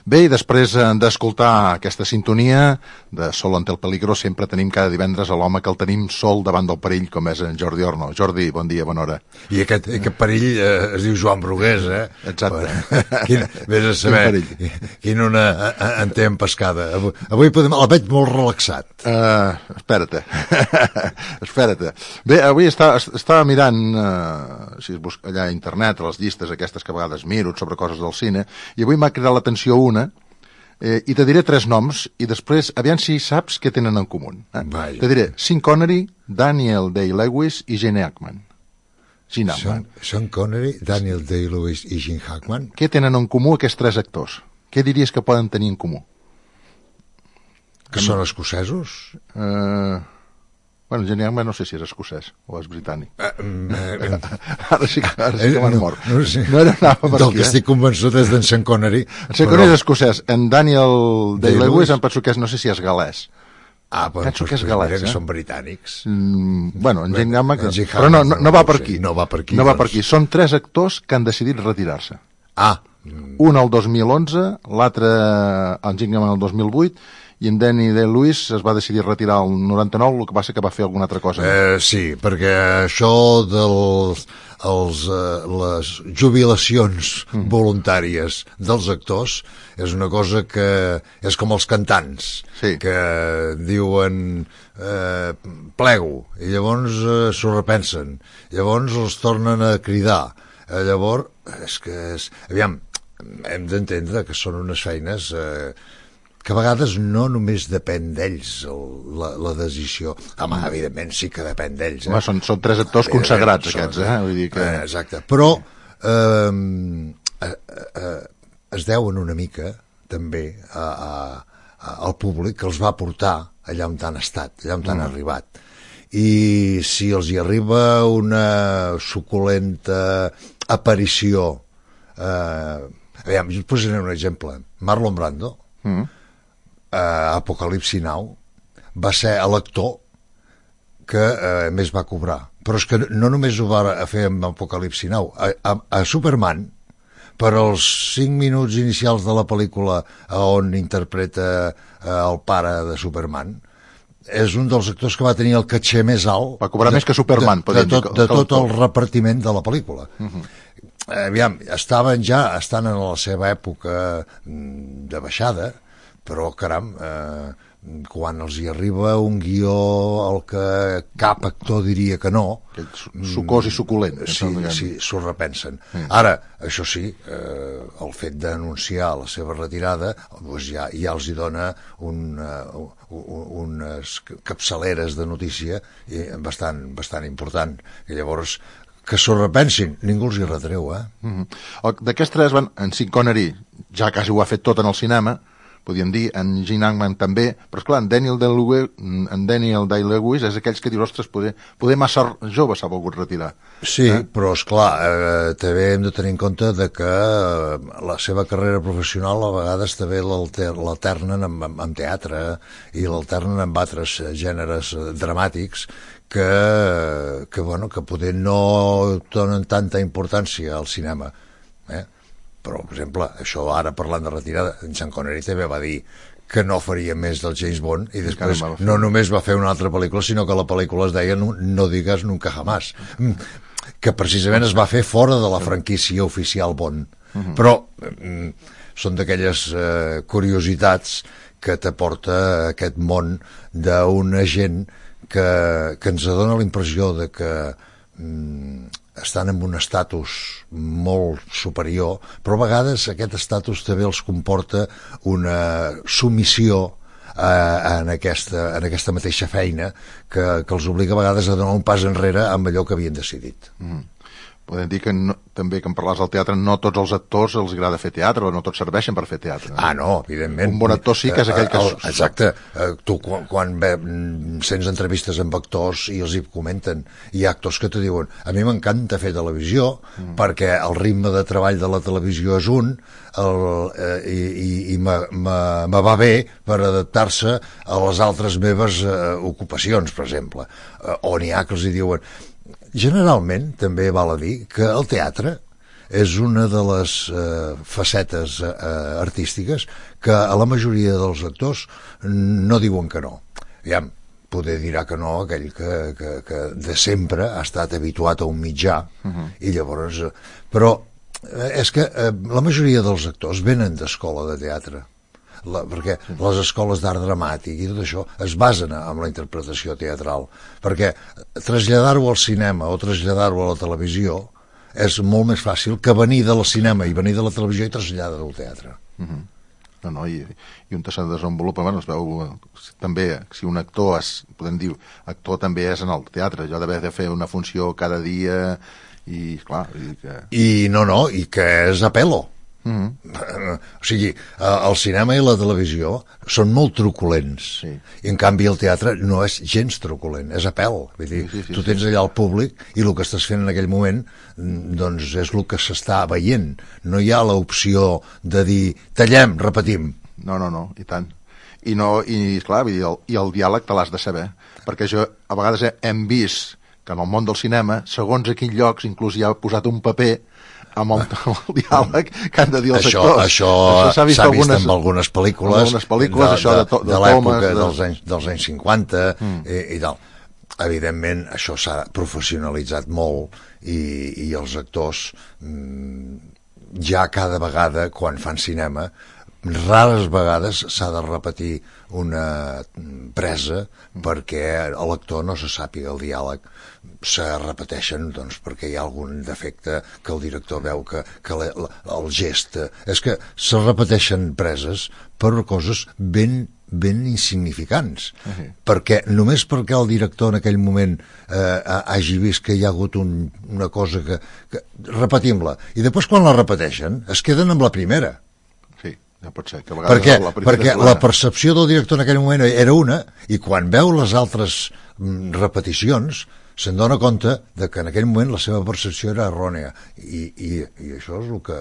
Bé, i després d'escoltar aquesta sintonia de Sol ante el peligro, sempre tenim cada divendres a l'home que el tenim sol davant del perill, com és en Jordi Orno. Jordi, bon dia, bona hora. I aquest perill es diu Joan Brugués, eh? Exacte. Vés a saber quin una en té en pescada. Avui el veig molt relaxat. Espera't. Espera't. Bé, avui estava mirant si es busca allà a internet, a les llistes aquestes que a vegades miro sobre coses del cine, i avui m'ha cridat l'atenció una, i te diré 3 noms, i després, aviam si saps què tenen en comú. Te diré Sean Connery, Daniel Day-Lewis i Gene Hackman. Sean Connery, Daniel Day-Lewis i Gene Hackman. Què tenen en comú aquests 3 actors? Què diries que poden tenir en comú? Que són escocesos? Bueno, Gene Hackman no sé si és escocès o és britànic. Ara sí que m'han mort. No era anava per del que estic convençut és d'en Sean Connery. En Sean Connery és escocès. En Daniel Day-Lewis em penso que no sé si és galès. Penso que és galès, que són britànics. Bueno, en Gene Hackman... Però no va per aquí. No va per aquí. No va per aquí. Són 3 actors que han decidit retirar-se. Un el 2011, l'altre en Gene Hackman el 2008, i en Danny Day-Lewis es va decidir retirar el 99, el que passa que va fer alguna altra cosa. Sí, perquè això de les jubilacions voluntàries dels actors és una cosa que és com els cantants, que diuen plego, i llavors s'ho repensen, llavors els tornen a cridar. Llavors, aviam, hem d'entendre que són unes feines que a vegades no només depèn d'ells la decisió. Home, evidentment sí que depèn d'ells. Són 3 actors consagrats aquests, Vull dir que... Exacte, però es deuen una mica també al públic que els va portar allà on han estat, allà on han arribat. I si els hi arriba una suculenta aparició, aviam, jo et posaré un exemple. Marlon Brando, Apocalipsi Now, va ser l'actor que més va cobrar, però és que no només ho va fer amb Apocalipsi Now, a Superman, per als 5 minuts inicials de la pel·lícula on interpreta el pare de Superman, és un dels actors que va tenir el caché més alt, va cobrar més que Superman, de tot el repartiment de la pel·lícula. Aviam, estan en la seva època de baixada, però caram, quan els hi arriba un guió al que cap actor diria que no, sucós i suculent, sí, s'ho repensen. Ara, això sí, el fet d'anunciar la seva retirada ja els hi dona unes capçaleres de notícia bastant important, i llavors que s'ho repensin, ningú els hi retreu, D'aquests 3, en Sean Connery ja quasi ho ha fet tot en el cinema, podríem dir, en Gene Hackman també, però esclar, en Daniel Day-Lewis és aquells que dius, ostres, poder massa jove s'ha volgut retirar. Sí, però esclar, també hem de tenir en compte que la seva carrera professional a vegades també l'alternen amb teatre i l'alternen amb altres gèneres dramàtics que poder no donen tanta importància al cinema, però, per exemple, això ara parlant de retirada, en Sean Connery també va dir que no faria més del James Bond i després no només va fer una altra pel·lícula, sinó que la pel·lícula es deia No digas nunca jamás, que precisament es va fer fora de la franquícia oficial Bond. Però són d'aquelles curiositats que t'aporta aquest món d'una gent que ens dona la impressió de que estan en un estatus molt superior, però a vegades aquest estatus també els comporta una submissió en aquesta mateixa feina que els obliga a vegades a donar un pas enrere amb allò que havien decidit. Podem dir que també, que en parlaves del teatre, no tots els actors els agrada fer teatre, o no tots serveixen per fer teatre. No, evidentment. Un bon actor sí que és aquell que... Exacte. Tu, quan sents entrevistes amb actors i els hi comenten, hi ha actors que te diuen a mi m'encanta fer televisió perquè el ritme de treball de la televisió és un i me va bé per adaptar-se a les altres meves ocupacions, per exemple. O n'hi ha que els hi diuen... Generalment, també val a dir que el teatre és una de les facetes artístiques que a la majoria dels actors no diuen que no. Aviam, poder dirà que no aquell que de sempre ha estat habituat a un mitjà, i llavors... Però és que la majoria dels actors venen d'escola de teatre, perquè les escoles d'art dramàtic i tot això es basen en la interpretació teatral, perquè traslladar-ho al cinema o traslladar-ho a la televisió és molt més fàcil que venir del cinema i venir de la televisió i traslladar-ho al teatre. No, i un tercer desenvolupament es veu també, si un actor podem dir, actor també és en el teatre, allò d'haver de fer una funció cada dia i clar, i que és a pelo. O sigui, el cinema i la televisió són molt truculents, i en canvi el teatre no és gens truculent, és a pèl. Vull dir, tu tens allà el públic i el que estàs fent en aquell moment doncs és el que s'està veient. No hi ha l'opció de dir tallem, repetim. No, i tant. I clar, vull dir, i el diàleg te l'has de saber, perquè a vegades hem vist que en el món del cinema, segons a quins llocs, inclús hi ha posat un paper amb el diàleg que han de dir els actors. Això s'ha vist en algunes pel·lícules de l'època dels anys 50 i tal. Evidentment, això s'ha professionalitzat molt i els actors ja cada vegada, quan fan cinema, rares vegades s'ha de repetir una presa perquè l'actor no se sàpiga el diàleg. Se repeteixen doncs, perquè hi ha algun defecte que el director veu que el gest... És que se repeteixen preses per coses ben insignificants, perquè només perquè el director en aquell moment hagi vist que hi ha hagut una cosa que repetim-la, i després quan la repeteixen es queden amb la primera. Ja pot ser, perquè la percepció del director en aquell moment era una, i quan veu les altres repeticions se'n dona compte de que en aquell moment la seva percepció era errònia, i això és el que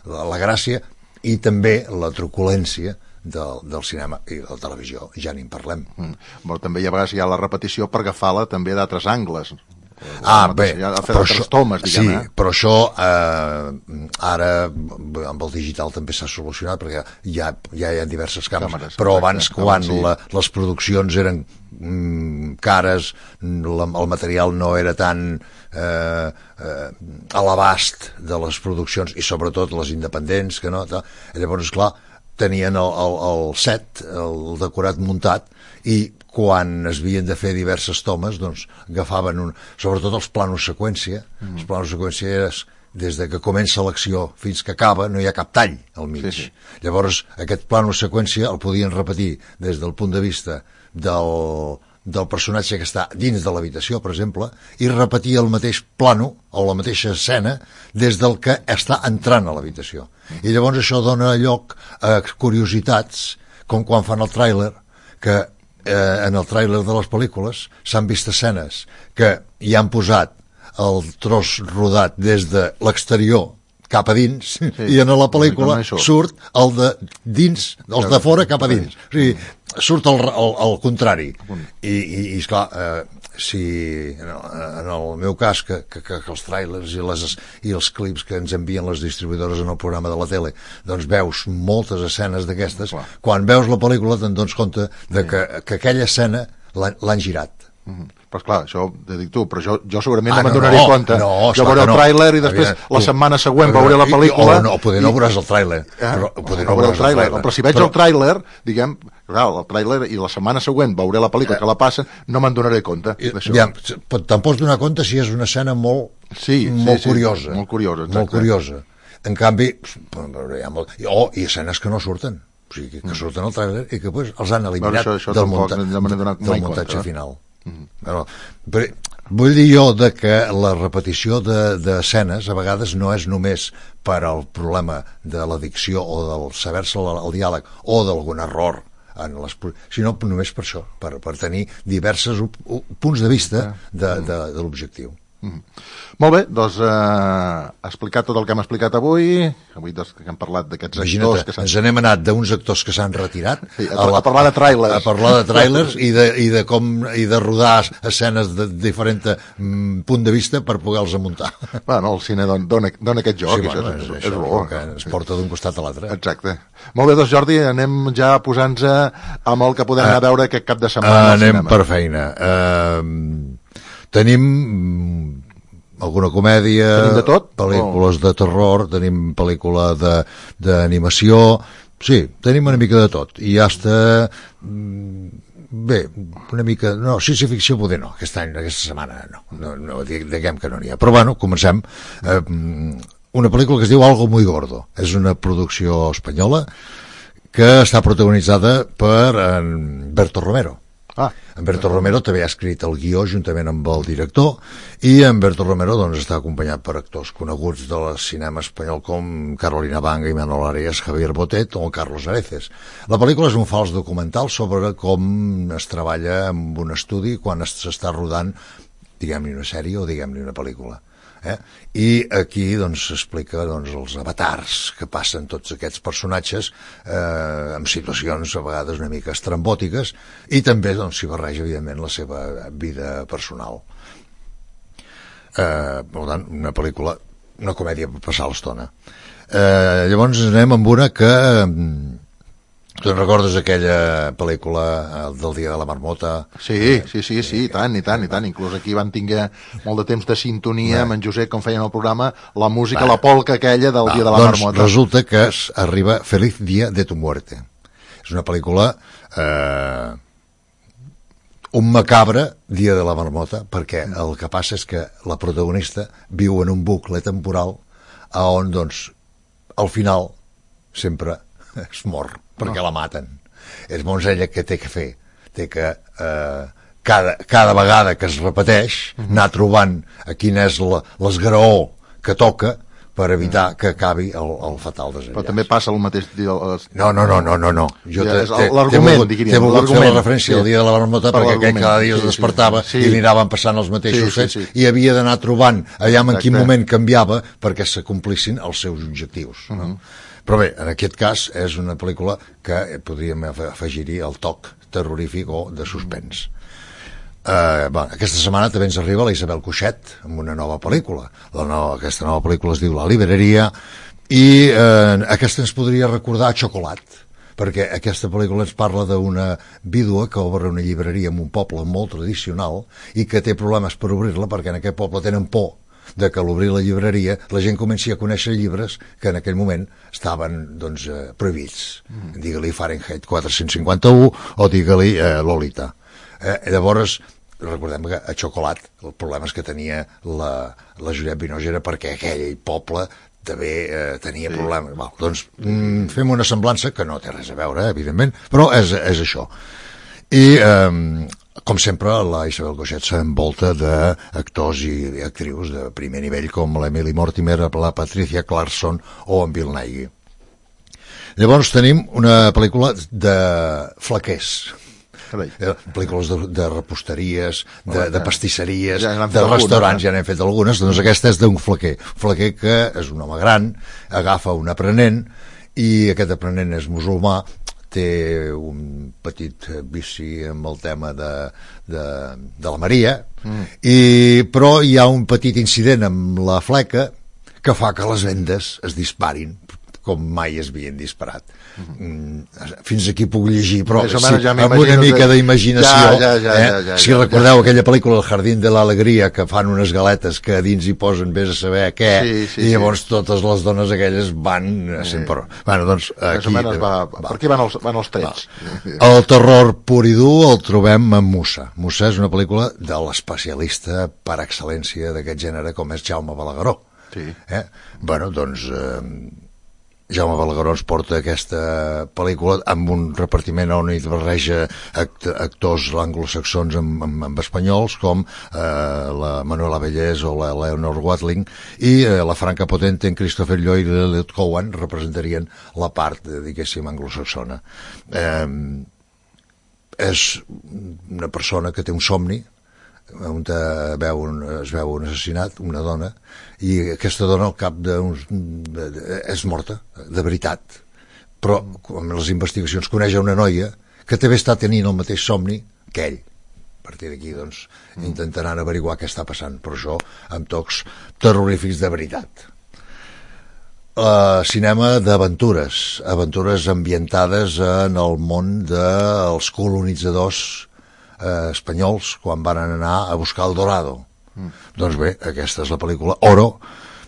la gràcia i també la truculència del cinema i de la televisió, ja n'hi parlem. També hi ha vegades hi ha la repetició per agafar-la també d'altres angles. Bé, però això ara amb el digital també s'ha solucionat, perquè ja hi ha diverses càmeres, però abans quan les produccions eren cares, el material no era tan a l'abast de les produccions, i sobretot les independents, que no, llavors esclar tenien el set, el decorat muntat, i quan es havien de fer diverses tomes, doncs agafaven sobretot els planos seqüència. Els planos seqüència és des de que comença l'acció fins que acaba, no hi ha cap tall al mig. Llavors aquest plano seqüència el podien repetir des del punt de vista del personatge que està dins de l'habitació, per exemple, i repetir el mateix plano o la mateixa escena des del que està entrant a l'habitació. I llavors això dona lloc a curiositats, com quan fan el tràiler, que en el tràiler de les pel·lícules s'han vist escenes que hi han posat el tros rodat des de l'exterior cap a dins, i en la pel·lícula surt el de dins, els de fora cap a dins. O sigui, surt al contrari. I esclar, si en el meu cas que els tràilers i els clips que ens envien les distribuïdores en el programa de la tele, doncs veus moltes escenes d'aquestes, quan veus la pel·lícula te'n dones compte de que aquella escena l'han girat. Però esclar, això ho dic tu, però jo segurament no me'n donaré compte. Jo veuré el tràiler i després la setmana següent veuré la pel·lícula. Poder no veuràs el tràiler. Però si veig el tràiler, diguem, el tràiler i la setmana següent veuré la pel·lícula que la passen, no me'n donaré compte. Te'n pots donar compte si és una escena molt curiosa. Molt curiosa. En canvi, i escenes que no surten. O sigui, que surten al tràiler i que els han eliminat del muntatge final. Però vull dir jo que la repetició d'escenes a vegades no és només per al problema de la dicció o del saber-se el diàleg o d'algun error, sinó només per això, per tenir diversos punts de vista de l'objectiu. Molt bé, doncs explicat tot el que hem explicat avui doncs, que hem parlat d'aquests actors que ens n'hem anat d'uns actors que s'han retirat a parlar de tràilers, i de rodar escenes de diferent punt de vista per poder-los muntar. Bueno, el cine dona aquest joc, sí, això és bo, que ens porta d'un costat a l'altre. Exacte. Molt bé, doncs Jordi, anem ja posant-nos amb el que podem anar a veure aquest cap de setmana al cinema. Anem per feina. Tenim alguna comèdia, tenim de tot? Pel·lícules de terror, tenim pel·lícula d'animació, sí, tenim una mica de tot, i està bé, una mica, no, ciència-ficció poder no, aquesta setmana no, diguem que no n'hi ha, però bueno, comencem. Una pel·lícula que es diu Algo muy gordo, és una producció espanyola que està protagonitzada per en Berto Romero. En Berto Romero també ha escrit el guió juntament amb el director, i en Berto Romero doncs, està acompanyat per actors coneguts del cinema espanyol com Carolina Banga, Imanol Arias, Javier Botet o Carlos Areces. La pel·lícula és un fals documental sobre com es treballa en un estudi quan s'està rodant, diguem-ne una sèrie o diguem-ne una pel·lícula. I aquí doncs s'explica els avatars que passen tots aquests personatges en situacions a vegades una mica estrambòtiques, i també s'hi barreja evidentment la seva vida personal. Per tant, una pel·lícula, una comèdia per passar l'estona. Llavors anem amb una que tu en recordes aquella pel·lícula del Dia de la Marmota? Sí, i tant, inclús aquí van tinguer molt de temps de sintonia amb en Josep, com feien el programa, la música, la polca aquella del Dia de la Marmota. Resulta que arriba Feliz Día de tu Muerte. És una pel·lícula un macabre Dia de la Marmota, perquè el que passa és que la protagonista viu en un bucle temporal on doncs al final sempre es mor perquè la maten. És molt ella que té que fer, té que cada vegada que es repeteix anar trobant a quin és l'esgraó que toca per evitar que acabi el fatal desenllaç. Però també passa el mateix... No. L'argument, diríem. T'he volgut fer la referència al Dia de la Marmota perquè aquell cada dia es despertava i li anaven passant els mateixos fets i havia d'anar trobant allà en quin moment canviava perquè s'acomplissin els seus objectius. Però bé, en aquest cas és una pel·lícula que podríem afegir-hi el toc terrorífic o de suspens. Aquesta setmana també ens arriba la Isabel Coixet amb una nova pel·lícula. Aquesta nova pel·lícula es diu La Libreria, i aquesta ens podria recordar Xocolat, perquè aquesta pel·lícula ens parla d'una vídua que obre una llibreria en un poble molt tradicional i que té problemes per obrir-la perquè en aquest poble tenen por de que a l'obrir la llibreria la gent comenci a conèixer llibres que en aquell moment estaven prohibits. Digue-li Fahrenheit 451 o digue-li Lolita. Llavors, recordem que a Xocolat el problema és que tenia la Juliette Binoche era perquè aquell poble també tenia problemes. Doncs fem una semblança que no té res a veure, evidentment, però és això. I com sempre, la Isabel Coixet s'envolta d'actors i actrius de primer nivell com l'Emily Mortimer, la Patricia Clarkson o en Bill Nighy. Llavors tenim una pel·lícula de flaquers, pel·lícules de reposteries, de pastisseries, de restaurants, ja n'hem fet algunes. Doncs aquesta és d'un flaquer que és un home gran, agafa un aprenent i aquest aprenent és musulmà, té un petit vici amb el tema de la Maria, però hi ha un petit incident amb la fleca que fa que les vendes es disparin com mai es havien disparat. Fins aquí puc llegir, però amb una mica d'imaginació. Si recordeu aquella pel·lícula El jardín de l'alegria, que fan unes galetes que a dins hi posen vés a saber què, i llavors totes les dones aquelles van sempre... Doncs aquí... Per aquí van els trets. El terror pur i dur el trobem en Musa. Musa és una pel·lícula de l'especialista per excel·lència d'aquest gènere com és Jaume Balagueró. Doncs... Jaume Balagueró ens porta aquesta pel·lícula amb un repartiment on hi barreja actors anglosaxons amb espanyols com la Manuela Bellés o la Leonor Watling, i la Franca Potente en Christopher Lloyd i l'Elliot Cowan representarien la part, diguéssim, anglosaxona. És una persona que té un somni on es veu un assassinat, una dona, i aquesta dona al cap és morta, de veritat. Però amb les investigacions coneix una noia que també està tenint el mateix somni que ell. A partir d'aquí, doncs, intentaran averiguar què està passant, però això amb tocs terrorífics de veritat. Cinema d'aventures, aventures ambientades en el món dels colonitzadors espanyols quan van anar a buscar el Dorado. Doncs bé, aquesta és la pel·lícula Oro,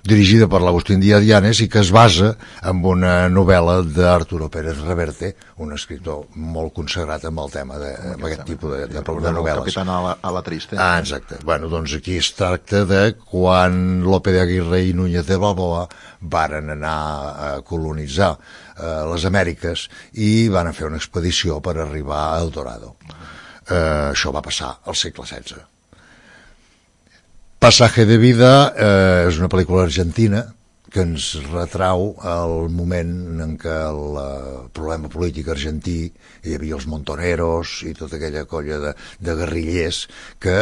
dirigida per l'Agustín Díaz Llanes i que es basa en una novel·la d'Arturo Pérez Reverte, un escriptor molt consagrat amb el tema amb aquest tipus de novel·les. El Capitán a la Triste. Exacte. Bueno, doncs aquí es tracta de quan Lope de Aguirre i Núñez de Balboa varen anar a colonitzar les Amèriques i van fer una expedició per arribar al Dorado. Això va passar al segle XVI. Pasaje de vida és una pel·lícula argentina que ens retrau el moment en què el problema polític argentí hi havia els montoneros i tota aquella colla de guerrillers que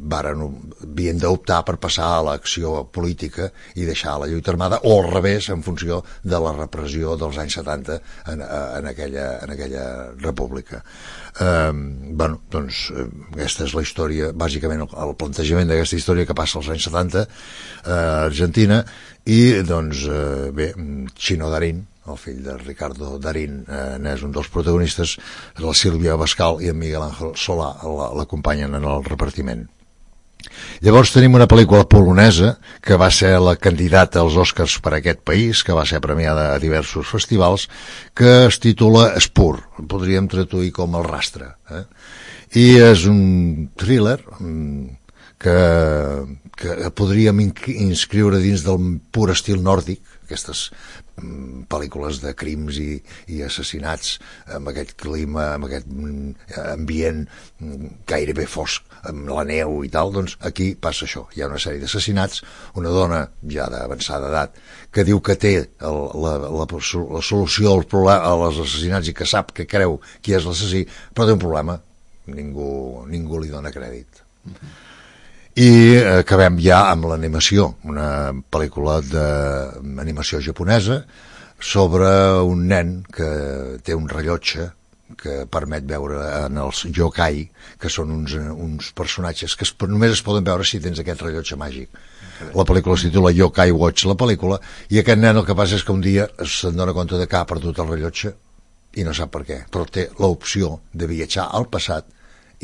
havien d'optar per passar a l'acció política i deixar la lluita armada, o al revés, en funció de la repressió dels anys 70 en aquella república. Aquesta és la història, bàsicament el plantejament d'aquesta història que passa als anys 70 a Argentina, i Chino Darín, el fill de Ricardo Darín, n'és un dels protagonistes, la Sílvia Bascal i en Miguel Ángel Solà l'acompanyen en el repartiment. Llavors tenim una pel·lícula polonesa que va ser la candidata als Oscars per a aquest país, que va ser premiada a diversos festivals, que es titula Spur, podríem traduir com El rastre, i és un thriller que podríem inscriure dins del pur estil nòrdic, aquestes pel·lícules de crims i assassinats amb aquest clima, amb aquest ambient gairebé fosc, amb la neu i tal. Doncs aquí passa això, hi ha una sèrie d'assassinats, una dona ja d'avançada edat que diu que té la solució als assassinats i que sap, que creu qui és l'assassí, però té un problema, ningú li dona crèdit. I acabem ja amb l'animació, una pel·lícula d'animació japonesa sobre un nen que té un rellotge que permet veure en els yokai, que són uns personatges que només es poden veure si tens aquest rellotge màgic. La pel·lícula es titula Yokai Watch, la pel·lícula, i aquest nen el que passa és que un dia se'n dona compte de que ha perdut el rellotge i no sap per què, però té l'opció de viatjar al passat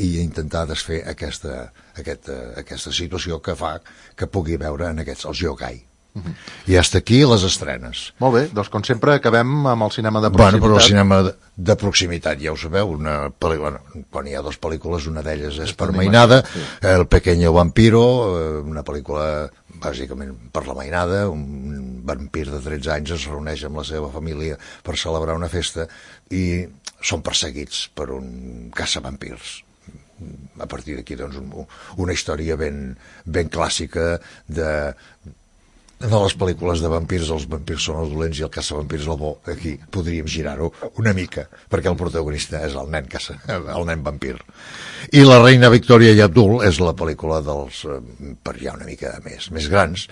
i intentar desfer aquesta situació que fa que pugui veure en els yokai. I hasta aquí les estrenes. Molt bé, doncs com sempre acabem amb el cinema de proximitat. Però el cinema de proximitat, ja ho sabeu, quan hi ha dues pel·lícules, una d'elles és per mainada, El pequeño vampiro, una pel·lícula bàsicament per la mainada, un vampir de 13 anys es reuneix amb la seva família per celebrar una festa i són perseguits per un caçavampirs. A partir d'aquí, doncs, una història ben clàssica de les pel·lícules de vampirs. Els vampirs són els dolents i el caçavampirs el bo. Aquí podríem girar-ho una mica, perquè el protagonista és el nen vampir. I La reina Victòria i Abdul és la pel·lícula per ja una mica més grans.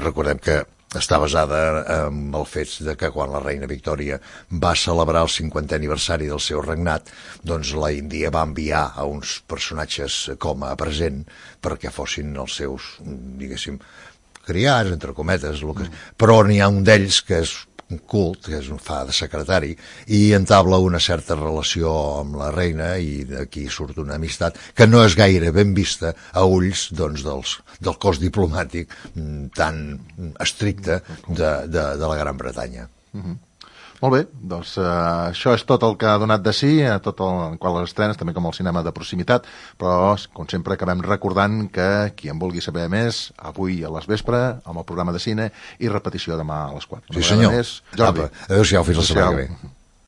Recordem que està basada en els fets de que quan la reina Victòria va celebrar el 50è aniversari del seu regnat, doncs la Índia va enviar a uns personatges com a present perquè fossin els seus, diguéssim, criats, entre cometes, però n'hi ha un d'ells que és cult, que fa de secretari, i entabla una certa relació amb la reina i d'aquí surt una amistat que no és gaire ben vista a ulls del cos diplomàtic tan estricte de la Gran Bretanya. Molt bé, doncs això és tot el que ha donat de si, tot el qual les estrenes, també com el cinema de proximitat, però com sempre acabem recordant que qui en vulgui saber més, avui a les vespre, amb el programa de cine i repetició demà a les 4. Sí senyor. Adéu-siau, fins la setmana que ve.